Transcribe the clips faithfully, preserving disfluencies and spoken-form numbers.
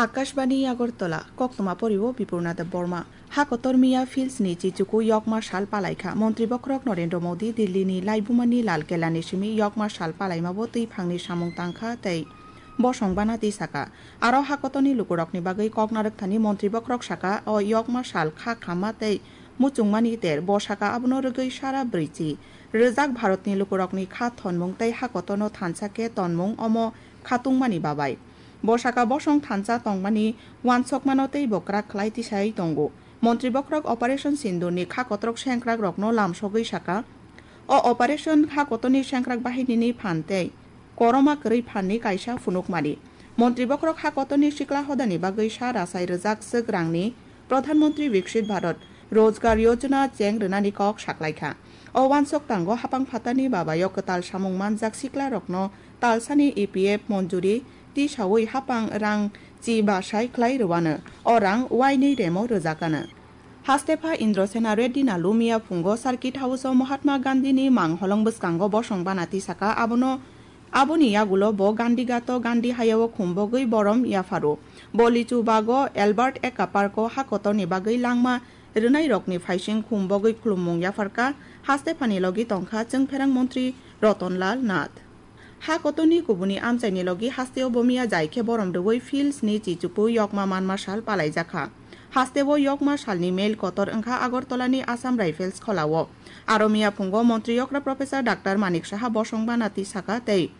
Akashbani Agartala, koktwma poriwo Bipurna Debbarma. Hakotor miya Fields ni chichuku yokma sal palaikha. Montri bokhorok Narendra Modi Delhi ni laibumani Lal Kela ni simi yokma sal palaimabo twi phangni samung tangkha tei bosong bana twi saka. Aro hakotorni lukurokni bagwi kok narwkthani montri bokhorok saka, o yokma sal kha khamma tei muchungmani ter. Bo saka abono rwgwi sara brwichi rwjak Bharatni lukurokni kha thonmung tei hakotorno thansa khe tonmung omo khatungmani babai. Bo saka bosong thansa tongmani uansukmano tei bo kwrak khlai tisai tongo. Montri bokhorok Operation Sindurni kha kotorok sengkrakrokno lamsogwi saka, o operation kha kotorni sengkrak bahinini phan tei koroma kwrwi phanni kaisa phunukmani. Montri bokhorok ha kotorni sikla hodani bagwi sa rasai rwjak swk rangni Pradhan Mantri Viksit Bharat Rozgar Yojana cheng rwnani kok saklaikha. O uansuk tango hapang phatarni babayo kwtal samung manjak siklarokno talsani E P F monjuri tisaui hapang rang chi basai khlai rwano. O rang uainwi remo rwjakano. Hastepha Indrasena Reddy Nallu miya phungo Circuit House-o Mahatma Gandhini mang holong bwskango bosong bana tisaka, abono, aboni yagulo bo Gandhi Ghato Gandhi hayao khumbogwi borom yapharo. Bo lichu bago Albert Ekka Park-o hakotorni bagwi langma rwnairokni phaising khumbogwi khulummung yapharka, Hastephani logi tongkha Chwngpherang Montri Ratan Lal Nath. Ha kotorni kubuni amchaini logi hasteo bo miya jai khe borom rwui Fields ni chichuku yokma manma sal palaijakha. Hasteo yokma salni mail kotor wngkha Agartala ni Assam Rifles kholao. Aro miya phungo Montri yokra Professor Doctor Manik Saha bosong bana tisaka tei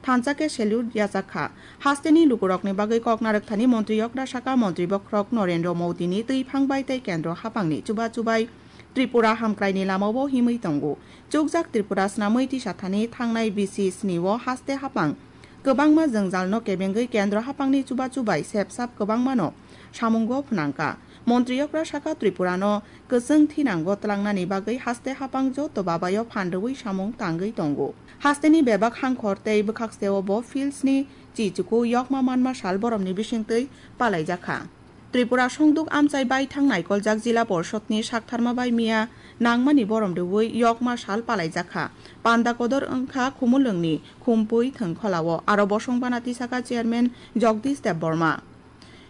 thansa khe salute yachakha. Hasteni lukurokni bagwi kok narwkthani Montri yokra saka Montri bokhorok Narendra Modi ni twiphang bai tei kendro hapangni chuba chubai Tripura hamkraini lamao himwi tongo. Chukjak Tripura snamwi tisathani thangnai bisi snio haste hapang kwbangma jwngjalno kebengwi kendro hapangni chubachu bai sepsap kwbangmano samungo phnangkha. Montri yokra saka Tripurano kwchwng thinango twlangnani bagwi haste hapang joto babayo phan rwui samung tangwi tongo. Hasteni bebak hangkhor tei bwkhakseo bo Fieldsni chichuku yokma manma sal boromni bisingtwi palaijakha. Tripura songduk amchai baithang naikoljak Jila Porshotni saktharma bai miya nangmani borom rwui yokma sal palaijakha. Panda kodor wngkha Khumulwngni Khumpui Thwngkholao, aro bosong bana tisaka Chairman Jagdish Debbarma.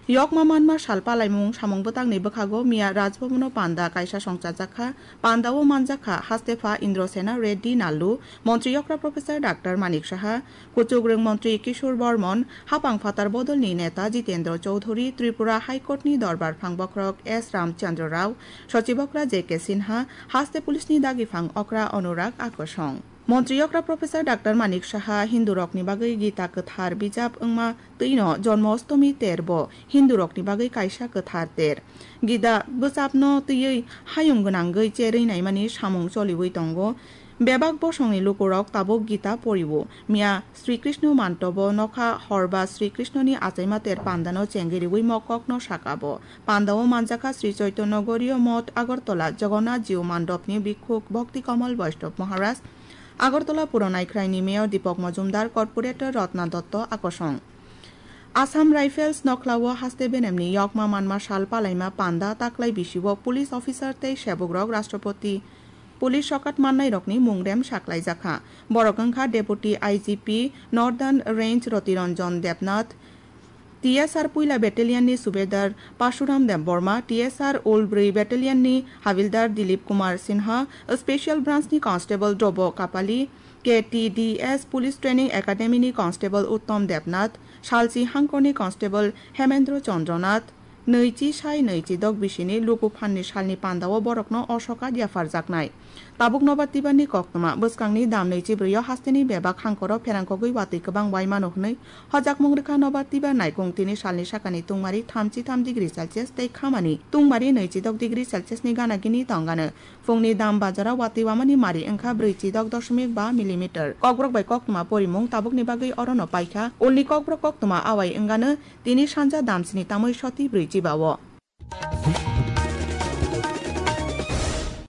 Yokma manma sal palaimung samung bwtangni bwkhago miya Rajbhabono panda kaisa songchajakha. Pandao manjakha Hastepha Indrasena Reddy Nallu, Montri yokra Professor Doctor Manik Saha, Kuchukrwng Montri Kishore Bormon, hapang phatar bodolni neta Jitendra Chowdhury, Tripura High Court ni dorbar phang bokhorok S Ramchandra Rao, sochibokra J K Sinha, haste police ni dagi phang okra Anurag Akosong. Montri yokra Professor Doctor Manik Saha Hindurokni bagwi Gita kwthar bijap wngma twino Jonmo Ostomi ter bo Hindurokni bagwi kaisa kwthar ter. Gita bwchapno twiwi hayung gwnangwi cherwi naimani samung choliwi tongo. Bebak bosongni lukurok tabuk Gita poriwo. Miya Sri Krishna mantobo nokha horba Sri Krishnani achaima ter pandano chengiriwi mokokno sakabo. Pandao manjakha Sri Chaitanya Gauriya Moth Agartala Jagannath Jiu Mandopni Bhikkhuk Bhakti Kamal Vaishnav Maharaj, Agartala Puro Naikhraini Mayor Deepak Majumdar, Corporator Ratna Dotto Akosong. Assam Rifles nokhlao haste benemni yokma manma sal palaima panda taklai bisio police officer tei sebukrok Rashtrapati police sokat mannairokni mungrem saklaijakha. Borok wngkha Deputy I G P Northern Range Rotiranjan Debnath, T S R Puila Battalion ni Subedar Pashuram Debbarma, T S R Ulbri Battalion ni Havildar Dilip Kumar Sinha, Special Branch ni Constable Drobo Kapali, K T D S Police Training Academy ni Constable Uttom Debnath, Salchi Hangkor ni Constable Hemendra Chandranath, nwichi sai nwichi dok bisini luku phanni salni pandao borokno o sokat yapharjaknai. Tabuk nobar tibarni koktwma, bwskangni dam nwichi brwi o hasteni bebak hangkoro pherangkogwi watwi kwbang bai mano hwnwi hojakmung rwkha nobar tibar naikung tini salni sakani tungmari thamchi tham degree Celsius tei khamani tungmari nwichi dok degree Celsius ni gana gini tongano. Phungni dam bazaro watwi wamani mari wngkha brwichi dok doshmik ba millimeter. Kokborok bai koktwma porimung tabukni bagwi orono paikha. Ulni kokborok koktwma awai wngano tini sanja damsini tamwi soti brwichi ba o.